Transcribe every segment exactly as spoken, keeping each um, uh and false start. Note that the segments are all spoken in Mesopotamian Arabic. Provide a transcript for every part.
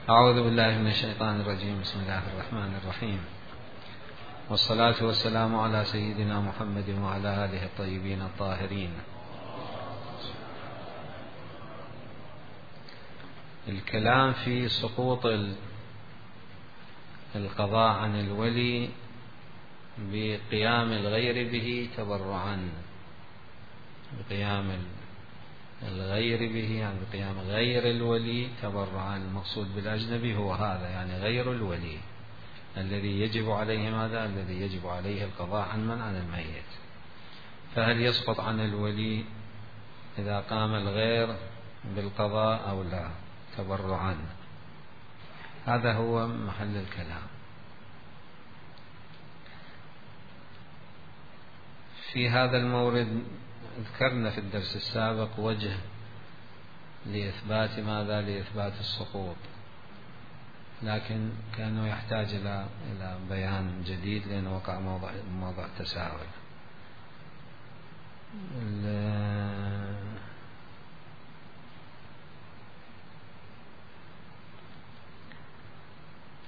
أعوذ بالله من الشيطان الرجيم. بسم الله الرحمن الرحيم، والصلاة والسلام على سيدنا محمد وعلى آله الطيبين الطاهرين. الكلام في سقوط القضاء عن الولي بقيام الغير به تبرعا، بقيام الغير به يعني بقيام غير الولي تبرعا. المقصود بالأجنبي هو هذا، يعني غير الولي الذي يجب عليه ماذا؟ الذي يجب عليه القضاء عن من؟ عن الميت. فهل يسقط عن الولي إذا قام الغير بالقضاء أو لا تبرعا؟ هذا هو محل الكلام. في هذا المورد ذكرنا في الدرس السابق وجه لإثبات ماذا؟ لإثبات السقوط، لكن كانه يحتاج إلى إلى بيان جديد لأنه وقع موضع موضع تساؤل.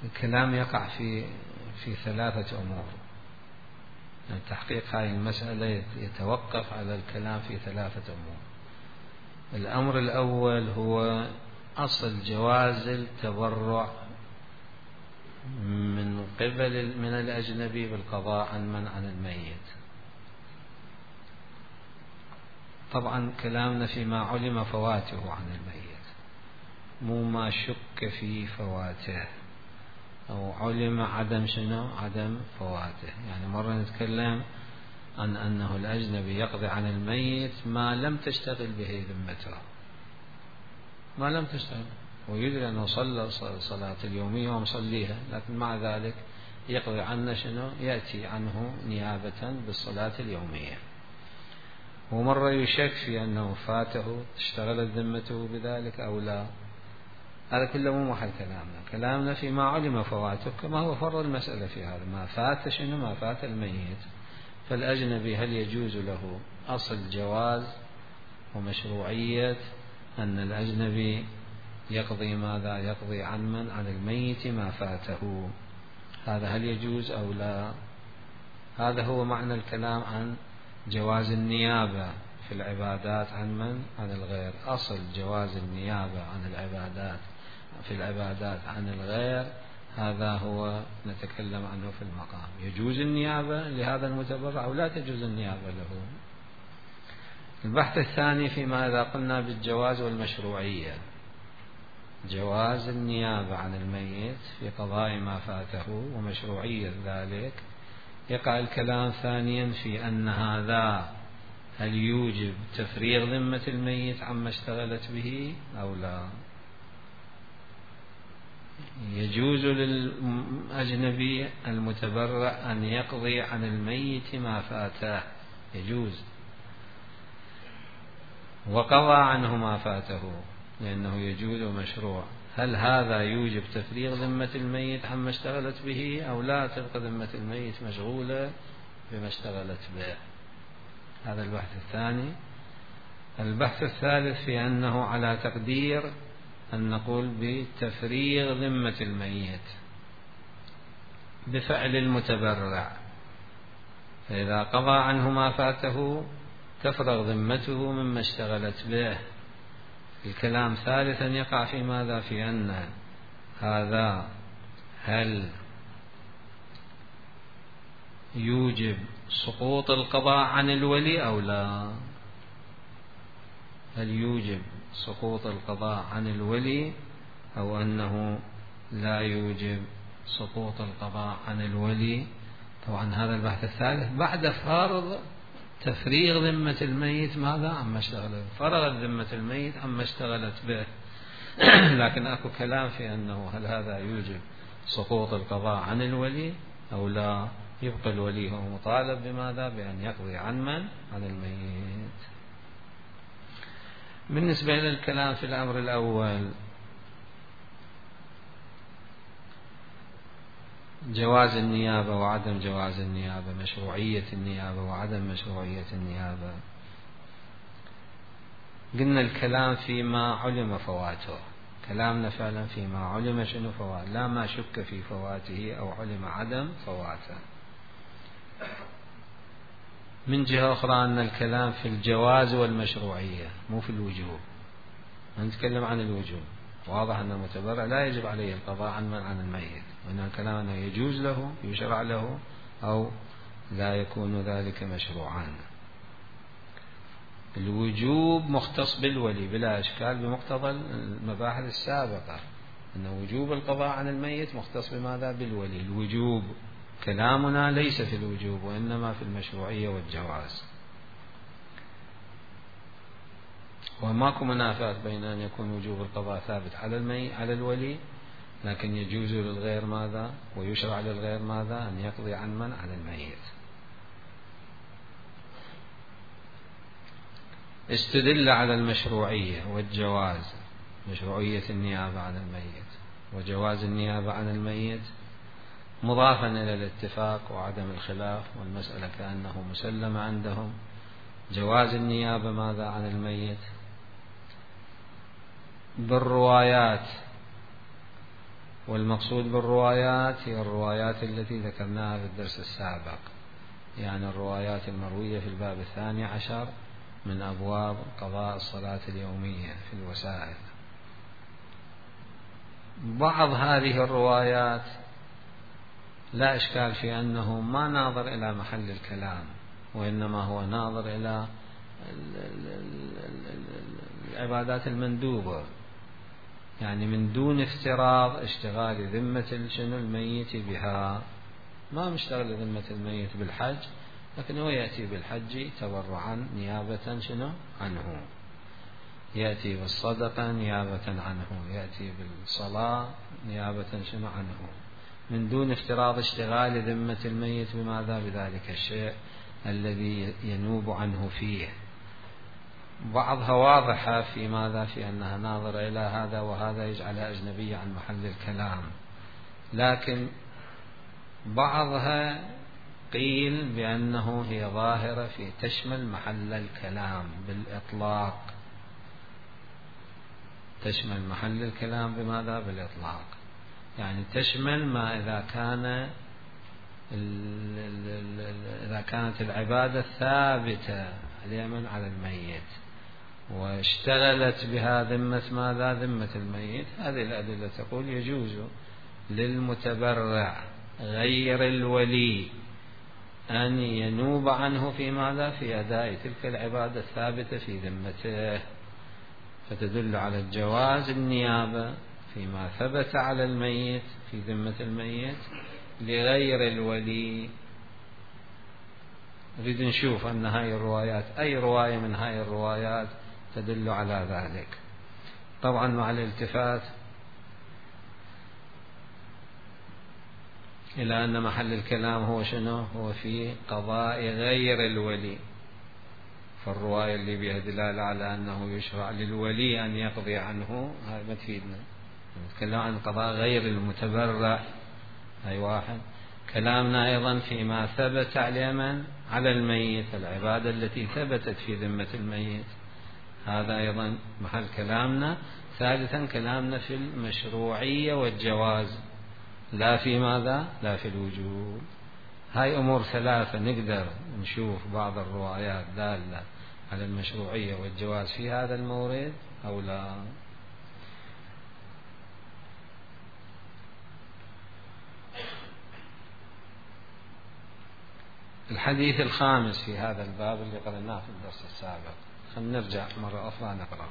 الكلام يقع في في ثلاثة أمور. يعني تحقيق هذه المسألة يتوقف على الكلام في ثلاثة أمور. الأمر الأول هو أصل جواز التبرع من قبل من الأجنبي بالقضاء عن من؟ عن الميت. طبعا كلامنا فيما علم فواته عن الميت، مو ما شك في فواته أو علم عدم شنو؟ عدم فواته. يعني مرة نتكلم عن أنه الأجنبي يقضي عن الميت ما لم تشتغل به ذمته، ما لم تشتغل، ويدري أنه صلى صلاة اليومية ومصليها، لكن مع ذلك يقضي عنه شنو؟ يأتي عنه نيابة بالصلاة اليومية. ومرة يشك في أنه فاته اشتغلت ذمته بذلك أو لا. هذا كله مو محل كلامنا. كلامنا فيما علم فواته، كما هو فرض المسألة في هذا، ما فات شنو؟ ما فات الميت. فالأجنبي هل يجوز له أصل جواز ومشروعية أن الأجنبي يقضي ماذا؟ يقضي عن من؟ عن الميت ما فاته. هذا هل يجوز أو لا؟ هذا هو معنى الكلام عن جواز النيابة في العبادات عن من؟ عن الغير. أصل جواز النيابة عن العبادات في العبادات عن الغير، هذا هو نتكلم عنه في المقام. يجوز النيابة لهذا المتبرع أو لا تجوز النيابة له؟ البحث الثاني فيما إذا قلنا بالجواز والمشروعية، جواز النيابة عن الميت في قضاء ما فاته ومشروعية ذلك. يقع الكلام ثانيا في أن هذا هل يوجب تفريغ ذمة الميت عما اشتغلت به أو لا. يجوز للأجنبي المتبرع أن يقضي عن الميت ما فاته، يجوز، وقضى عنه ما فاته لأنه يجوز ومشروع. هل هذا يوجب تفريغ ذمة الميت عما اشتغلت به أو لا؟ تبقى ذمة الميت مشغولة بما اشتغلت به. هذا البحث الثاني. البحث الثالث في أنه على تقدير أن نقول بتفريغ ذمة الميت بفعل المتبرع، فإذا قضى عنه ما فاته تفرغ ذمته مما اشتغلت به. الكلام ثالثا يقع في ماذا؟ في أن هذا هل يوجب سقوط القضاء عن الولي أو لا؟ هل يوجب سقوط القضاء عن الولي أو أنه لا يوجب سقوط القضاء عن الولي؟ طبعا هذا البحث الثالث بعد فرض تفريغ ذمة الميت ماذا؟ عما اشتغلت. فرغت ذمة الميت عما اشتغلت به. لكن أكو كلام في أنه هل هذا يوجب سقوط القضاء عن الولي أو لا. يبقى الولي هو مطالب بماذا؟ بأن يقضي عن من؟ عن الميت. بالنسبة إلى الكلام في الأمر الأول، جواز النيابة وعدم جواز النيابة، مشروعية النيابة وعدم مشروعية النيابة، قلنا الكلام فيما علم فواته. كلامنا فعلا فيما علم شنو فوات، لا ما شك في فواته أو علم عدم فواته. من جهة أخرى أن الكلام في الجواز والمشروعية مو في الوجوب. نتكلم عن الوجوب، واضح أن المتبرع لا يجب عليه القضاء عن من عن الميت، وإن الكلام أنه يجوز له يشرع له أو لا يكون ذلك مشروعا. الوجوب مختص بالولي بلا إشكال بمقتضى المباحث السابقة، أن وجوب القضاء عن الميت مختص بماذا؟ بالولي. الوجوب كلامنا ليس في الوجوب وإنما في المشروعية والجواز، وماكو منافاة بين أن يكون وجوب القضاء ثابت على المي على الولي، لكن يجوز للغير ماذا؟ ويشرع للغير ماذا؟ أن يقضي عن من؟ عن الميت. استدل على المشروعية والجواز، مشروعية النيابة عن الميت وجواز النيابة عن الميت، مضافا إلى الاتفاق وعدم الخلاف والمسألة كأنه مسلم عندهم. جواز النيابة ماذا عن الميت؟ بالروايات، والمقصود بالروايات هي الروايات التي ذكرناها في الدرس السابق، يعني الروايات المروية في الباب الثاني عشر من أبواب قضاء الصلاة اليومية في الوسائل. بعض هذه الروايات لا إشكال في أنه ما ناظر إلى محل الكلام، وإنما هو ناظر إلى العبادات المندوبة، يعني من دون افتراض اشتغال ذمة شنو الميت بها. ما مشتغل ذمة الميت بالحج، لكن هو يأتي بالحج تبرعا نيابة شنو عنه، يأتي بالصدقة نيابة عنه، يأتي بالصلاة نيابة شنو عنه، من دون افتراض اشتغال ذمة الميت بماذا؟ بذلك الشيء الذي ينوب عنه فيه. بعضها واضحة في ماذا؟ في أنها ناظرة إلى هذا وهذا يجعل أجنبية عن محل الكلام، لكن بعضها قيل بأنه هي ظاهرة في تشمل محل الكلام بالإطلاق، تشمل محل الكلام بماذا؟ بالإطلاق، يعني تشمل ما إذا كان إذا كانت العبادة ثابتة اليمن على الميت واشتغلت بها ذمة ماذا؟ ذمة الميت. هذه الأدلة تقول يجوز للمتبرع غير الولي أن ينوب عنه في ماذا؟ في أداء تلك العبادة الثابتة في ذمته، فتدل على الجواز النيابة فيما ثبت على الميت في ذمة الميت لغير الولي. نريد نشوف أن هاي الروايات أي رواية من هاي الروايات تدل على ذلك، طبعا مع الالتفات إلى أن محل الكلام هو شنو؟ هو في قضاء غير الولي. فالرواية اللي بها دلالة على أنه يشرع للولي أن يقضي عنه هاي ما تفيدنا، نتكلم عن قضاء غير المتبرع. هاي واحد. كلامنا أيضا فيما ثبت اليمن على الميت، العبادة التي ثبتت في ذمة الميت، هذا أيضا محل كلامنا. ثالثا كلامنا في المشروعية والجواز، لا في ماذا؟ لا في الوجوب. هاي أمور ثلاثة نقدر نشوف بعض الروايات دالة على المشروعية والجواز في هذا المورد أو لا. الحديث الخامس في هذا الباب اللي قرأناه في الدرس السابق، خلينا نرجع مرة أخرى نقرأ.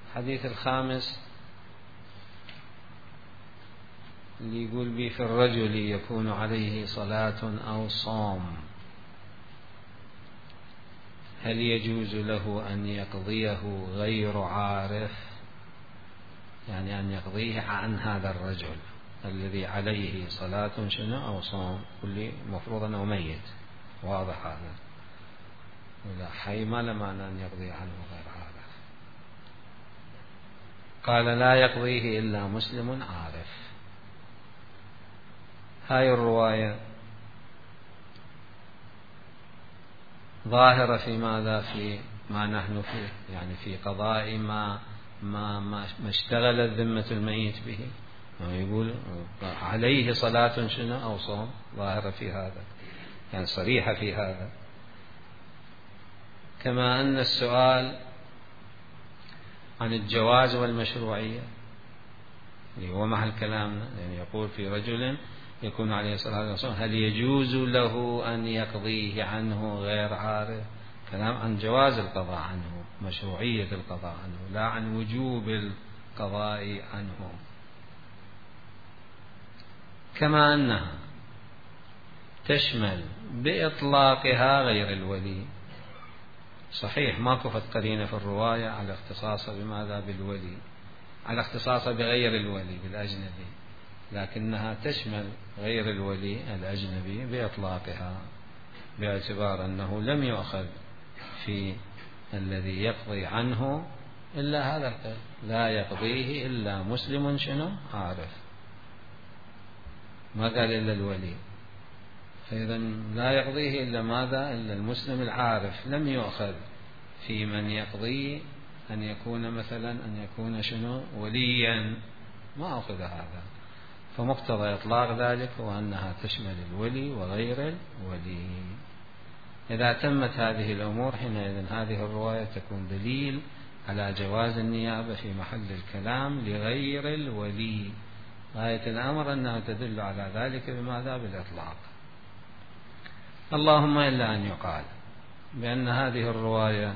الحديث الخامس اللي يقول بي في الرجل يكون عليه صلاة أو صوم هل يجوز له أن يقضيه غير عارف؟ يعني أن يقضيه عن هذا الرجل الذي عليه صلاة شنو أو صوم، كل مفروض أنه ميت، واضح هذا، ولا حي ما لما أن يقضي عنه غير عارف. قال لا يقضيه إلا مسلم عارف. هاي الرواية ظاهرة في ماذا؟ في ما نحن فيه، يعني في قضاء ما ما ما اشتغلت ذمة الميت به، يقول عليه صلاة شنو أو صوم، ظاهرة في هذا يعني صريحة في هذا. كما أن السؤال عن الجواز والمشروعية اللي هو محل كلامنا، يعني يقول في رجل يكون عليه الصلاة والسلام هل يجوز له أن يقضيه عنه غير عارف، كلام عن جواز القضاء عنه، مشروعية القضاء عنه، لا عن وجوب القضاء عنه. كما أنها تشمل بإطلاقها غير الولي، صحيح ما كفت قرينة في الرواية على اختصاصها بماذا بالولي، على اختصاصها بغير الولي بالأجنبي، لكنها تشمل غير الولي الأجنبي بإطلاقها، باعتبار أنه لم يؤخذ في الذي يقضي عنه إلا هذا القيد، لا يقضيه إلا مسلم شنو عارف، ما قال إلا الولي، فإذا لا يقضيه إلا ماذا إلا المسلم العارف، لم يؤخذ في من يقضي أن يكون مثلا أن يكون شنو وليا، ما أخذ هذا. فمقتضى إطلاق ذلك هو أنها تشمل الولي وغير الولي. إذا تمت هذه الأمور حينئذ هذه الرواية تكون دليل على جواز النيابة في محل الكلام لغير الولي، غاية الأمر أنها تدل على ذلك بماذا بالإطلاق. اللهم إلا أن يقال بأن هذه الرواية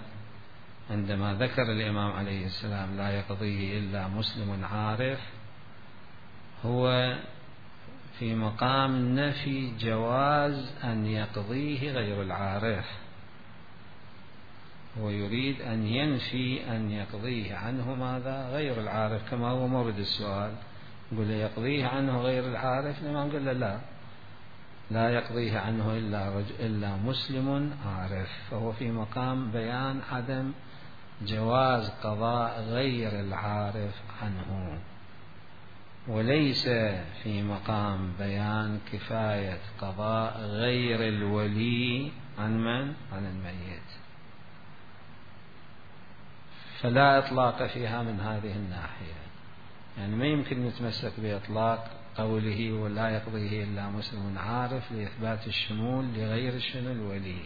عندما ذكر الإمام عليه السلام لا يقضيه إلا مسلم عارف، هو في مقام نفي جواز أن يقضيه غير العارف، هو يريد أن ينفي أن يقضيه عنه ماذا غير العارف، كما هو مورد السؤال، يقول يقضيه عنه غير العارف، الإمام قال له لا لا يقضيه عنه إلا, رجل إلا مسلم عارف، فهو في مقام بيان عدم جواز قضاء غير العارف عنه، وليس في مقام بيان كفاية قضاء غير الولي عن من؟ عن الميت، فلا إطلاق فيها من هذه الناحية، يعني ما يمكن نتمسك بإطلاق قوله ولا يقضيه إلا مسلم عارف لإثبات الشمول لغير الشنو الولي.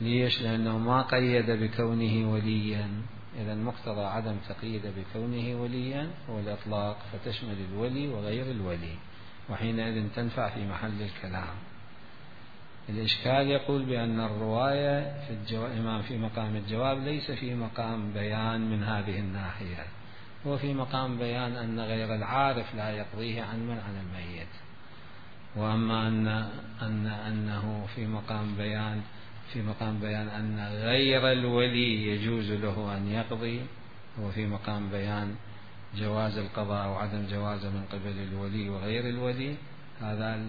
ليش؟ لأنه ما قيد بكونه وليا، إذا مقتضى عدم تقييد بكونه وليا هو الإطلاق، فتشمل الولي وغير الولي، وحينئذ تنفع في محل الكلام. الإشكال يقول بأن الرواية في الجواب إمام في مقام الجواب ليس في مقام بيان من هذه الناحية، هو في مقام بيان أن غير العارف لا يقضيه عن من عن الميت، وأما أن أن أنه في مقام بيان في مقام بيان أن غير الولي يجوز له أن يقضي، هو في مقام بيان جواز القضاء وعدم جوازه من قبل الولي وغير الولي، هذا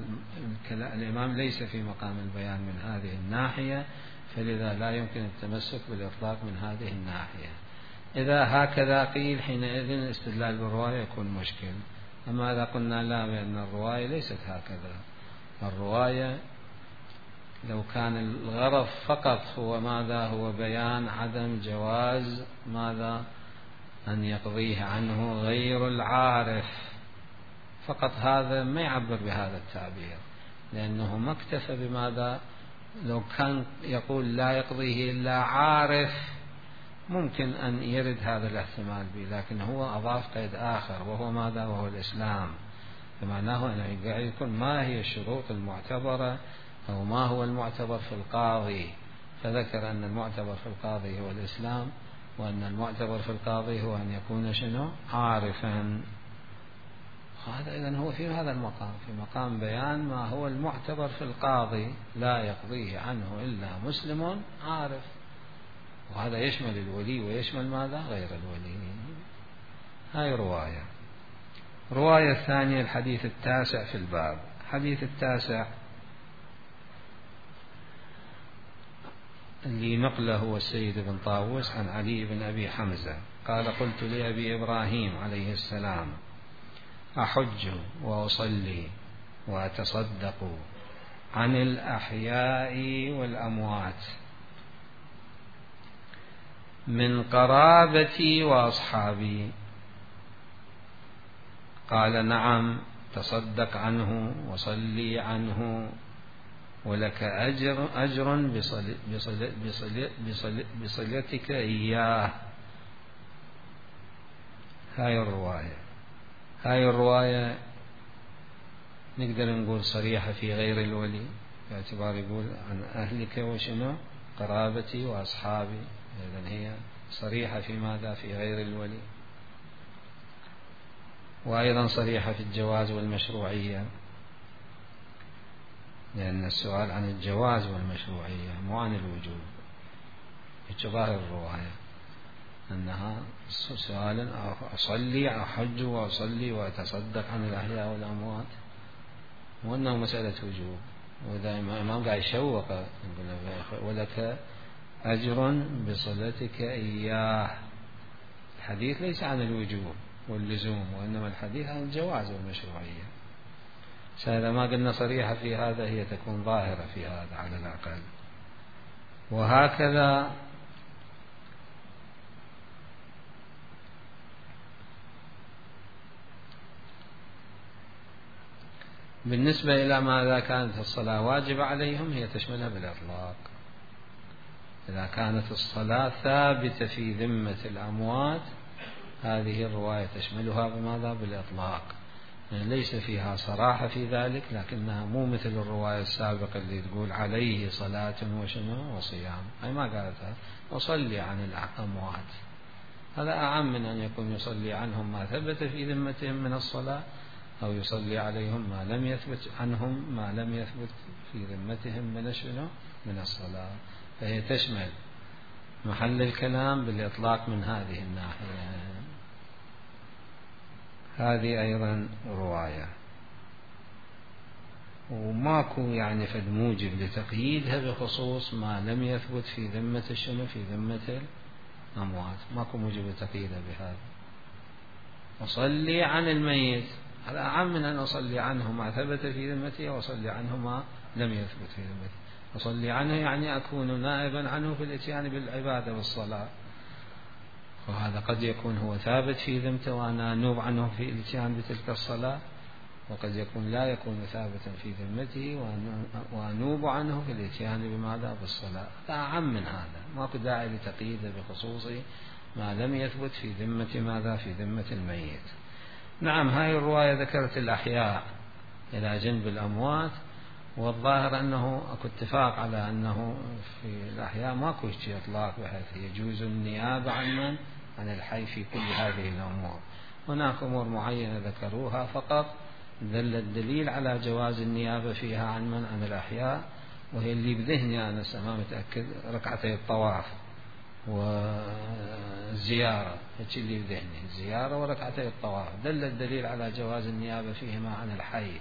الإمام ليس في مقام البيان من هذه الناحية، فلذا لا يمكن التمسك بالإطلاق من هذه الناحية. إذا هكذا قيل حينئذ الاستدلال بالرواية يكون مشكل. أما إذا قلنا لا بأن الرواية ليست هكذا، الرواية لو كان الغرض فقط هو ماذا هو بيان عدم جواز ماذا أن يقضيه عنه غير العارف فقط، هذا ما يعبر بهذا التعبير، لأنه ما اكتفى بماذا، لو كان يقول لا يقضيه إلا عارف ممكن أن يرد هذا الاحتمال به، لكن هو أضاف قيد آخر وهو ماذا وهو الإسلام، فمعناه أن يكون ما هي الشروط المعتبرة أو ما هو المعتبر في القاضي، فذكر أن المعتبر في القاضي هو الإسلام، وأن المعتبر في القاضي هو أن يكون شنو عارفا. هذا إذن هو في هذا المقام في مقام بيان ما هو المعتبر في القاضي، لا يقضيه عنه إلا مسلم عارف، وهذا يشمل الولي ويشمل ماذا غير الولي. هاي رواية. رواية ثانية الحديث التاسع في الباب. الحديث التاسع اللي نقله هو السيد بن طاووس عن علي بن أبي حمزة قال قلت لأبي إبراهيم عليه السلام أحج وأصلي وأتصدق عن الأحياء والأموات، من قرابتي وأصحابي؟ قال نعم، تصدق عنه وصلي عنه ولك أجر أجر بصل بصل بصل بصل بصلتك إياه. هاي الرواية هاي الرواية نقدر نقول صريحة في غير الولي، باعتبار يقول عن أهلك وشنو قرابتي وأصحابي، إذن هي صريحة في ماذا؟ في غير الولي. وأيضا صريحة في الجواز والمشروعية، لأن السؤال عن الجواز والمشروعية مو عن الوجوب. ظاهر الرواية أنها سؤال أصلي أحج وأصلي وأتصدق عن الأحياء والأموات، وأنه مسألة وجوب. وإذا الإمام قاعد يشوق ولك أجر بصلتك إياه، الحديث ليس عن الوجوب واللزوم، وإنما الحديث عن الجواز والمشروعية. إذا ما قلنا صريحة في هذا هي تكون ظاهرة في هذا على الأقل. وهكذا بالنسبة إلى ماذا كانت الصلاة واجبة عليهم، هي تشملها بالإطلاق. إذا كانت الصلاة ثابتة في ذمة الأموات هذه الرواية تشملها بماذا؟ بالإطلاق. يعني ليس فيها صراحة في ذلك، لكنها مو مثل الرواية السابقة اللي تقول عليه صلاة وشنو وصيام، أي ما قالتها أصلي عن الأموات. هذا أعم من أن يكون يصلي عنهم ما ثبت في ذمتهم من الصلاة، أو يصلي عليهم ما لم يثبت عنهم ما لم يثبت في ذمتهم من شنو من الصلاة. فهي تشمل محل الكلام بالإطلاق من هذه الناحية. هذه أيضا رواية، وماكو يعني فد موجب لتقييدها بخصوص ما لم يثبت في ذمة الشنو في ذمة الأموات، ماكو موجب لتقييدها بهذا. أصلي عن الميت هذا أعم من أن أصلي عنه ما ثبت في ذمته وأصلي عنه ما لم يثبت في ذمته. أصلي عنه يعني أكون نائبا عنه في الاتيان بالعبادة والصلاة، وهذا قد يكون هو ثابت في ذمته وأنا أنوب عنه في الاتيان بتلك الصلاة، وقد يكون لا يكون ثابتا في ذمته وأنوب عنه في الاتيان بماذا؟ بالصلاة. هذا أعم من هذا، ماكو داعي لتقييده بخصوص ما لم يثبت في ذمة ماذا؟ في ذمة الميت. نعم، هاي الرواية ذكرت الأحياء إلى جنب الأموات، والظاهر أنه أكو اتفاق على أنه في الأحياء ماكو شيء إطلاق بحيث يجوز النيابة عن من؟ عن الحي في كل هذه الأمور. هناك أمور معينة ذكروها فقط دل الدليل على جواز النيابة فيها عن من؟ عن الأحياء، وهي اللي بذهني أنا ما متأكد ركعتي الطواف والزيارة، هيك اللي بذهني الزيارة وركعتي الطواف دل الدليل على جواز النيابة فيهما عن الحي.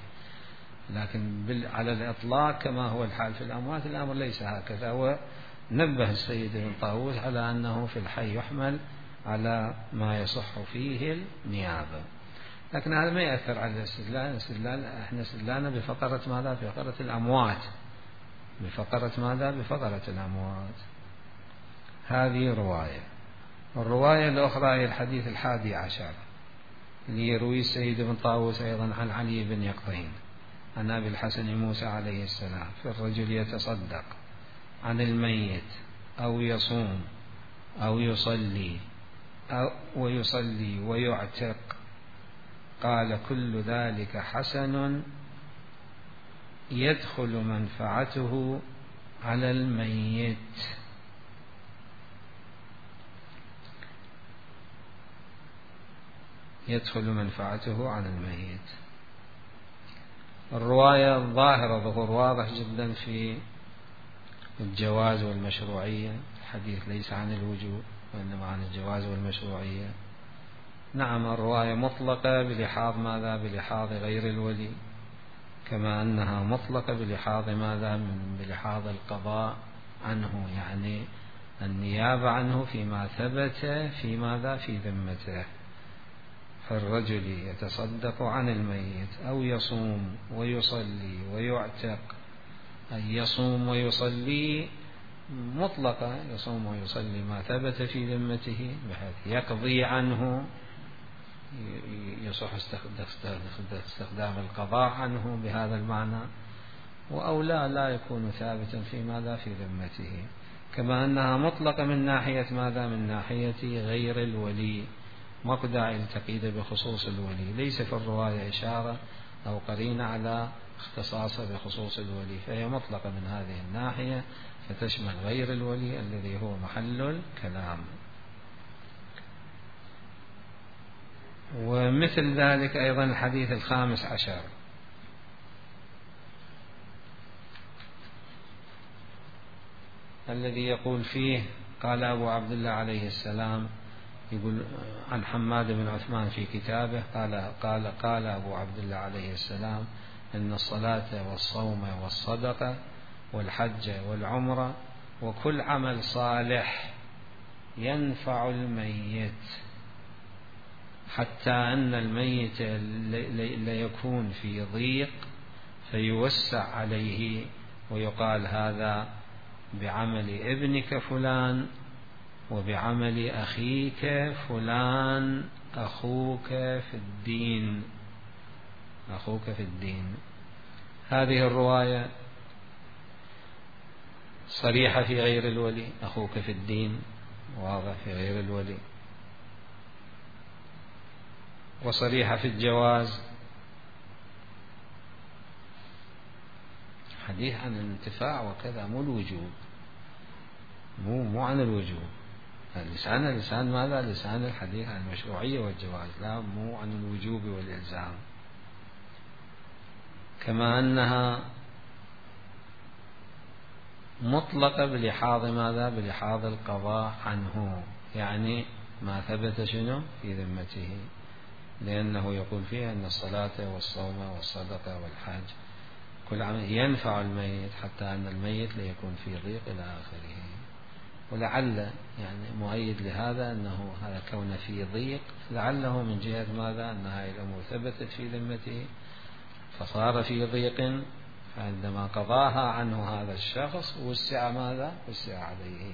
لكن على الإطلاق كما هو الحال في الأموات الأمر ليس هكذا، ونبه السيد ابن طاووس على أنه في الحي يحمل على ما يصح فيه النيابة. لكن هذا ما يأثر على الاستدلال. الاستدلال احنا استدلالنا بفقرة ماذا؟ بفقرة الأموات، بفقرة ماذا؟ بفقرة الأموات. هذه رواية. الرواية الأخرى هي الحديث الحادي عشر اللي يروي السيد ابن طاووس أيضا عن علي بن يقطين عن أبي الحسن موسى عليه السلام في الرجل يتصدق عن الميت أو يصوم أو يصلي أو ويصلي ويعتق، قال كل ذلك حسن يدخل منفعته على الميت. يدخل منفعته على الميت. الرواية الظاهرة ظهور واضح جدا في الجواز والمشروعية، الحديث ليس عن الوجوب وإنما عن الجواز والمشروعية. نعم، الرواية مطلقة بلحاظ ماذا؟ بلحاظ غير الولي، كما أنها مطلقة بلحاظ ماذا؟ من بلحاظ القضاء عنه، يعني النيابة عنه فيما ثبت في ماذا؟ في ذمته. فالرجل يتصدق عن الميت أو يصوم ويصلي ويعتق، أي يصوم ويصلي مطلقة، يصوم ويصلي ما ثبت في ذمته بحيث يقضي عنه، يصح استخدام القضاء عنه بهذا المعنى، أو لا لا يكون ثابتا في ماذا في ذمته. كما أنها مطلقة من ناحية ماذا من ناحية غير الولي، مقدع التقييد بخصوص الولي، ليس في الرواية إشارة أو قرينة على اختصاصه بخصوص الولي، فهي مطلقة من هذه الناحية فتشمل غير الولي الذي هو محل الكلام. ومثل ذلك أيضا الحديث الخامس عشر الذي يقول فيه قال أبو عبد الله عليه السلام، يقول عن حماد بن عثمان في كتابه قال قال قال أبو عبد الله عليه السلام: إن الصلاة والصوم والصدقة والحج والعمرة وكل عمل صالح ينفع الميت، حتى أن الميت ليكون في ضيق فيوسع عليه ويقال هذا بعمل ابنك فلان وبعمل أخيك فلان أخوك في الدين، أخوك في الدين. هذه الرواية صريحة في غير الولي، أخوك في الدين واضح في غير الولي، وصريحة في الجواز، حديث عن الانتفاع وكذا، مو الوجوب، مو مو عن الوجوب. اللسان اللسان ماذا؟ لسان الحديث عن المشروعية والجواز، لا مو عن الوجوب والإلزام. كما أنها مطلقة بلحاظ ماذا؟ بلحاظ القضاء عنه، يعني ما ثبت شنو في ذمته، لأنه يقول فيها أن الصلاة والصوم والصدقة والحج كل عمل ينفع الميت، حتى أن الميت ليكون في ضيق إلى آخره. ولعل يعني مؤيد لهذا أنه هذا كون في ضيق لعله من جهة ماذا؟ أن هذه الأمور ثبتت في ذمته فصار في ضيق، فعندما قضاها عنه هذا الشخص وسع ماذا؟ وسع عليه.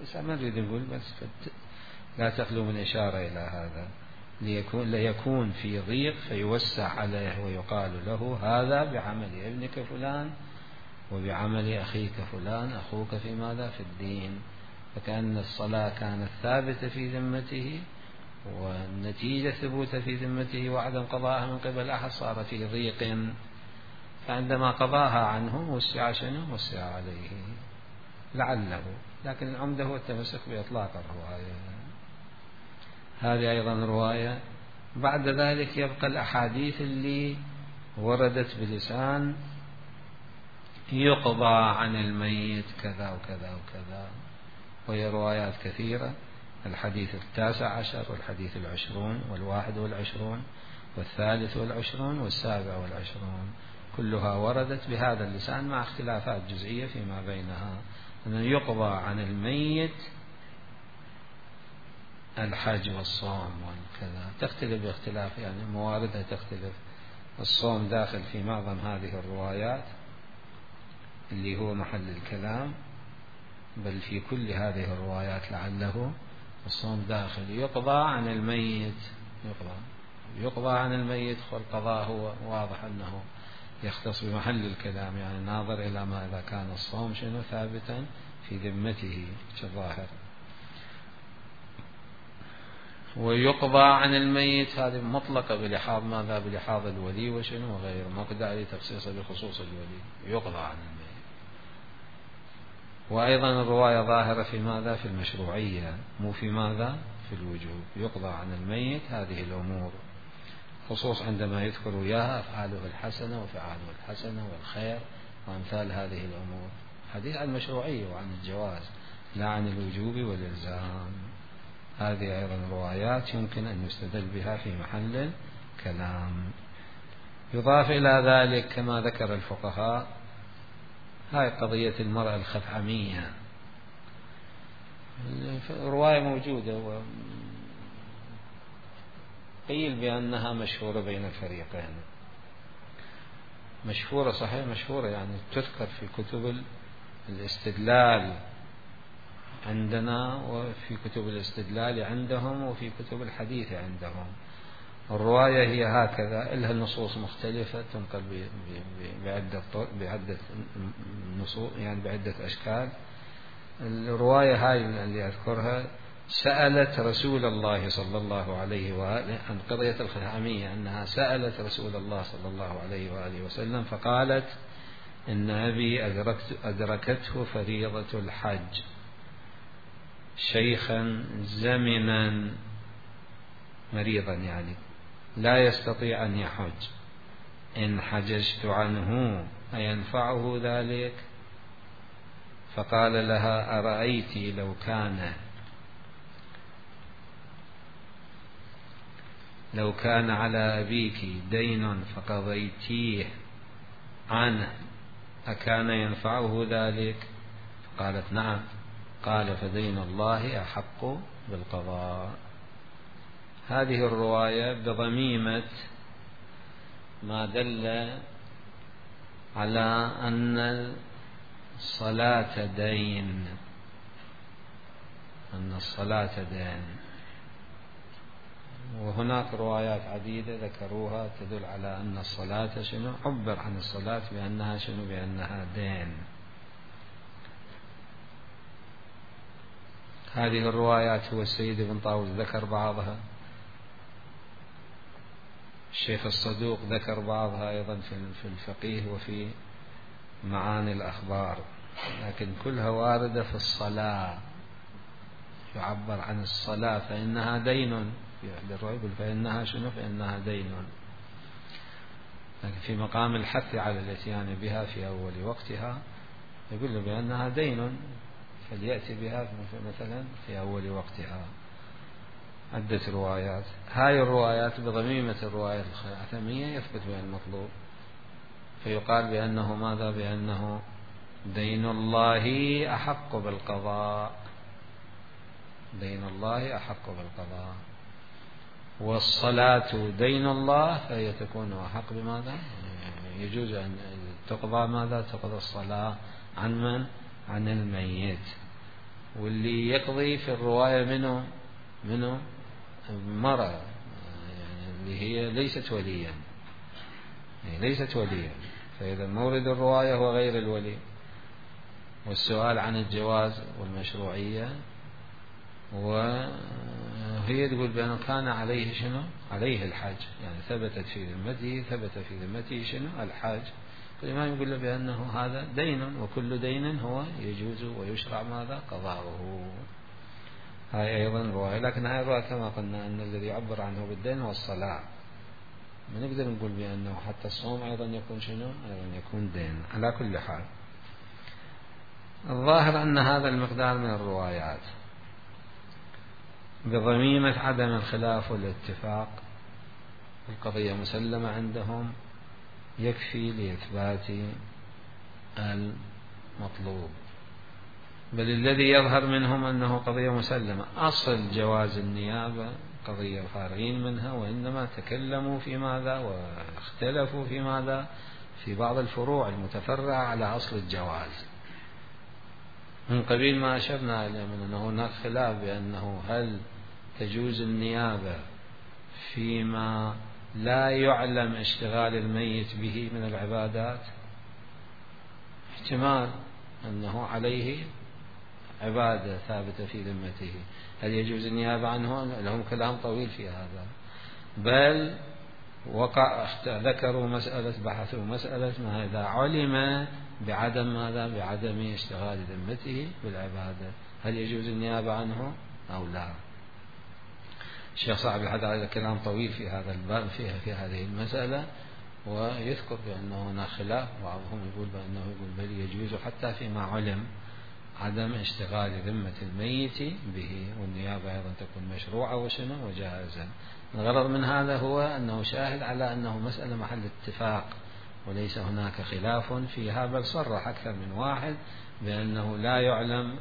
بس ما نريد نقول، بس لا تخلو من إشارة إلى هذا، ليكون ليكون في ضيق فيوسع عليه ويقال له هذا بعمل ابنك فلان وبعمل أخيك فلان أخوك في ماذا؟ في الدين. فكأن الصلاة كانت ثابتة في ذمته، والنتيجة ثبوت في ذمته وعدم قضاءها من قبل أحد صار في ضيق، فعندما قضاها عنه وسع شنو؟ وسع عليه لعله. لكن العمدة هو التمسك بإطلاق الرواية. هذه أيضا رواية. بعد ذلك يبقى الأحاديث اللي وردت بلسان يقضى عن الميت كذا وكذا وكذا، وهي روايات كثيرة. الحديث التاسع عشر والحديث العشرون والواحد والعشرون والثالث والعشرون والسابع والعشرون، كلها وردت بهذا اللسان مع اختلافات جزئية فيما بينها، أن يقضى عن الميت الحج والصوم وكذا، تختلف باختلاف يعني مواردها تختلف. الصوم داخل في معظم هذه الروايات اللي هو محل الكلام، بل في كل هذه الروايات لعله الصوم داخل. يقضى عن الميت، يقضى يقضى عن الميت، والقضاء هو واضح أنه يختص بمحل الكلام، يعني ناظر إلى ما إذا كان الصوم شنو ثابتا في ذمته كظاهر. ويقضى عن الميت هذه مطلقة بلحاظ ماذا؟ بلحاظ الولي وشنو وغير، مقدع لتخصيصه بخصوص الولي، يقضى عن الميت. وأيضا الرواية ظاهرة في ماذا؟ في المشروعية، مو في ماذا؟ في الوجوب. يقضى عن الميت هذه الأمور، خصوص عندما يذكر إياها أفعاله الحسنة وفعاله الحسنة والخير وأمثال هذه الأمور. حديث عن المشروعية وعن الجواز، لا عن الوجوب والإلزام. هذه أيضا روايات يمكن أن يستدل بها في محل الكلام. يضاف إلى ذلك كما ذكر الفقهاء هاي قضية المرأة الخثعمية، رواية موجودة وقيل بأنها مشهورة بين الاستدلال عندنا وفي كتب الاستدلال عندهم وفي كتب الحديث عندهم. الرواية هي هكذا، لها نصوص مختلفة تنقل بعدة بعدة نصوص، يعني بعدة أشكال. الرواية هاي اللي أذكرها سألت رسول الله صلى الله عليه وآله عن قضية الخثعمية، أنها سألت رسول الله صلى الله عليه وآله وسلم فقالت إن أبي أدركت أدركته فريضة الحج شيخا زمنا مريضا، يعني لا يستطيع أن يحج، إن حججت عنه أينفعه ذلك؟ فقال لها أرأيت لو كان لو كان على أبيك دين فقضيتيه عنه أكان ينفعه ذلك؟ قالت نعم. قال فدين الله أحق بالقضاء. هذه الرواية بضميمة ما دل على أن الصلاة دين، أن الصلاة دين. وهناك روايات عديدة ذكروها تدل على أن الصلاة شنو، عبر عن الصلاة بأنها شنو، بأنها دين. هذه الروايات هو السيد ابن طاووس ذكر بعضها، الشيخ الصدوق ذكر بعضها أيضا في الفقيه وفي معاني الأخبار، لكن كلها واردة في الصلاة، يعبر عن الصلاة فإنها دين، في أحد الروايات يقول فإنها شنو، فإنها دين، لكن في مقام الحث على الاتيان بها في أول وقتها يقول له بأنها دين فليأتي بها مثلا في أول وقتها. عدة روايات، هاي الروايات بضميمة الروايات الخاتمية يثبت بها المطلوب، فيقال بأنه ماذا، بأنه دين الله أحق بالقضاء، دين الله أحق بالقضاء. والصلاة دين الله فهي تكون أحق بماذا، يجوز أن تقضى ماذا، تقضى الصلاة عن من، عن الميت. واللي يقضي في الرواية منه منه مرة، يعني اللي هي ليست وليا، يعني ليست وليا، فإذا مورد الرواية هو غير الولي. والسؤال عن الجواز والمشروعية، وهي تقول بأنه كان عليه شنو، عليه الحج، يعني ثبتت في ذمته، ثبت في ذمته شنو، الحج. فالإمام يقول له بأنه هذا دين، وكل دين هو يجوز ويشرع ماذا، قضاؤه. هاي أيضا رواية، لكن هاي الرواية كما قلنا أن الذي يعبر عنه بالدين هو الصلاة. ما نقدر نقول بأنه حتى الصوم أيضا يكون شنو، أيضا يكون دين. على كل حال الظاهر أن هذا المقدار من الروايات بضميمة عدم الخلاف والاتفاق، القضية مسلمة عندهم، يكفي لإثبات المطلوب. بل الذي يظهر منهم أنه قضية مسلمة، أصل جواز النيابة قضية فارغين منها، وإنما تكلموا في ماذا واختلفوا في ماذا، في بعض الفروع المتفرعة على أصل الجواز. من قبيل ما أشرنا إلى من أنه هناك خلاف بأنه هل تجوز النيابة فيما لا يعلم اشتغال الميت به من العبادات، احتمال أنه عليه عبادة ثابتة في ذمته، هل يجوز النيابة عنه؟ لهم كلام طويل في هذا، بل وقع ذكروا مسألة، بحثوا مسألة ما إذا علم بعدم ماذا، بعدم اشتغال ذمته بالعبادة، هل يجوز النيابة عنه أو لا؟ الشيخ صاحب الحدث هذا كلام طويل في هذا الباب، فيها في هذه المسألة، ويذكر بأنه هناك خلاف، بعضهم يقول بأنه يقول بل يجوز حتى فيما علم عدم اشتغال ذمة الميت به، والنيابة أيضا تكون مشروعة وشنو وجائزة. الغرض من هذا هو أنه شاهد على أنه مسألة محل اتفاق وليس هناك خلاف فيها، بل صرح أكثر من واحد بأنه لا يعلم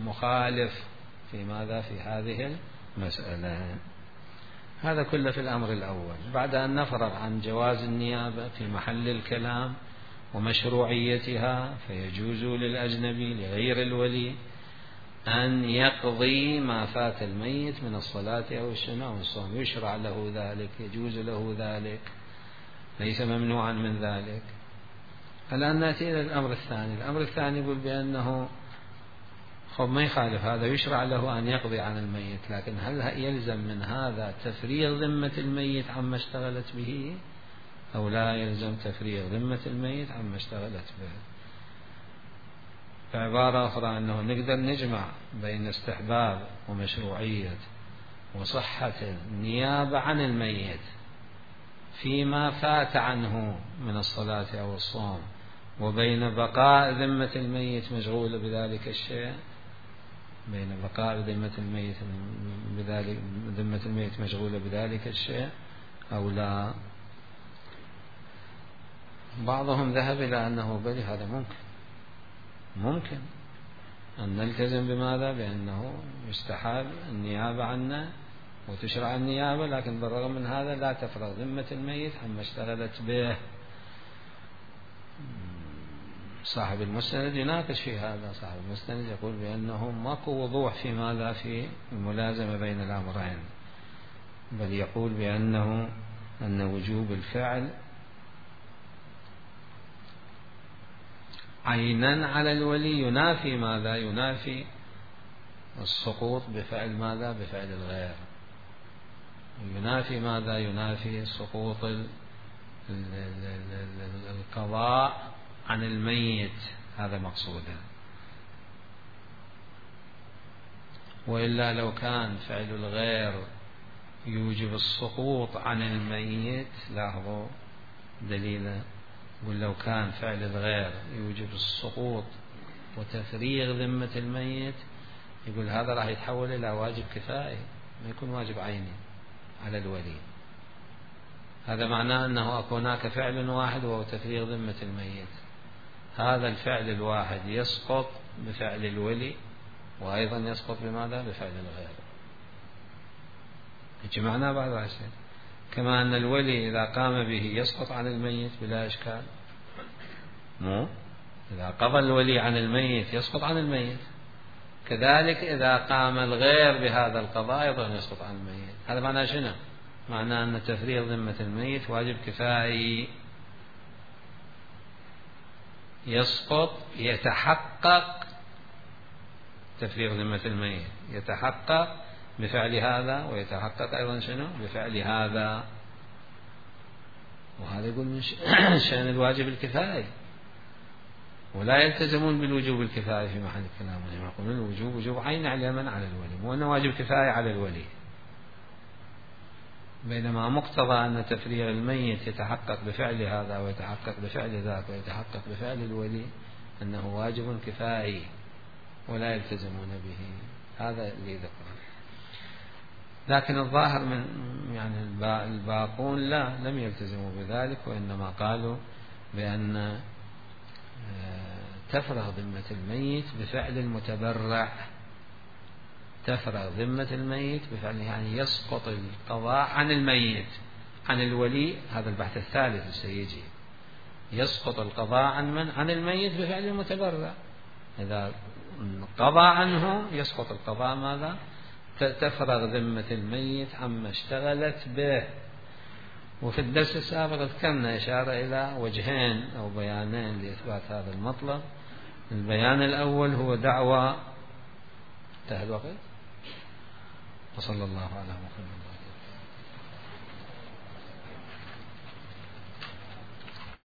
مخالف في ماذا، في هذه المسألة. هذا كله في الأمر الأول. بعد أن نفرغ عن جواز النيابة في محل الكلام ومشروعيتها، فيجوز للأجنبي لغير الولي أن يقضي ما فات الميت من الصلاة أو السنة أو الصوم، يشرع له ذلك، يجوز له ذلك، ليس ممنوعا من ذلك. الآن نأتي إلى الأمر الثاني. الأمر الثاني يقول بأنه خب ما يخالف هذا، يشرع له أن يقضي عن الميت، لكن هل يلزم من هذا تفريغ ذمة الميت عما اشتغلت به أو لا يلزم تفريغ ذمة الميت عما اشتغلت به؟ بعبارة أخرى أنه نقدر نجمع بين استحباب ومشروعية وصحة النيابة عن الميت فيما فات عنه من الصلاة أو الصوم، وبين بقاء ذمة الميت مشغولة بذلك الشيء، بين بقاء ذمة الميت بذلك ذمة الميت مشغولة بذلك الشيء أو لا. بعضهم ذهب إلى أنه بل هذا ممكن ممكن أن نلتزم بماذا؟ بأنه يستحب النيابة عنا وتشرع النيابة، لكن بالرغم من هذا لا تفرغ ذمة الميت عما اشتغلت به. صاحب المستند يناقش في هذا، صاحب المستند يقول بأنه ماكو وضوح في ماذا في الملازمة بين الأمرين، بل يقول بأنه أن وجوب الفعل عينا على الولي ينافي ماذا؟ ينافي السقوط بفعل ماذا؟ بفعل الغير. ينافي ماذا؟ ينافي سقوط القضاء عن الميت، هذا مقصوده. وإلا لو كان فعل الغير يوجب السقوط عن الميت، لاحظوا دليلا، ولو كان فعل الغير يوجب السقوط وتفريغ ذمة الميت، يقول هذا راح يتحول إلى واجب كفائي، ما يكون واجب عيني على الولي. هذا معناه أنه هناك فعل واحد وهو تفريغ ذمة الميت، هذا الفعل الواحد يسقط بفعل الولي، وأيضا يسقط بماذا؟ بفعل الغير. جمعنا بعض الأشياء، كما أن الولي إذا قام به يسقط عن الميت بلا إشكال، مو إذا قضى الولي عن الميت يسقط عن الميت، كذلك إذا قام الغير بهذا القضاء أيضا يسقط عن الميت. هذا معناه شنو؟ معناه أن تفريغ ذمة الميت واجب كفائي، يسقط يتحقق تفريغ ذمة الميت، يتحقق بفعل هذا ويتحقق أيضا شنو؟ بفعل هذا. وهذا يقول من شأن الواجب الكفائي، ولا يلتزمون بالوجوب الكفائي في محل الكلام، يقولون الوجوب وجوب عين على من؟ على الولي، مو أنه واجب كفائي على الولي. بينما مقتضى أن تفريغ الميت يتحقق بفعل هذا ويتحقق بفعل ذاك ويتحقق بفعل الولي أنه واجب كفائي ولا يلتزمون به. هذا اللي ذكره. لكن الظاهر من يعني الباقون لا، لم يلتزموا بذلك، وإنما قالوا بأن تفرغ ذمة الميت بفعل المتبرع، تفرغ ذمة الميت بفعل يعني يسقط القضاء عن الميت عن الولي. هذا البحث الثالث سيجي، يسقط القضاء عن من؟ عن الميت بفعل المتبرع. إذا قضى عنه يسقط القضاء ماذا؟ تفرغ ذمة الميت عما اشتغلت به. وفي الدرس السابق ذكرنا إشارة إلى وجهين أو بيانين لإثبات هذا المطلب. البيان الأول هو دعوى انتهى الوقت، وصلى الله على محمد.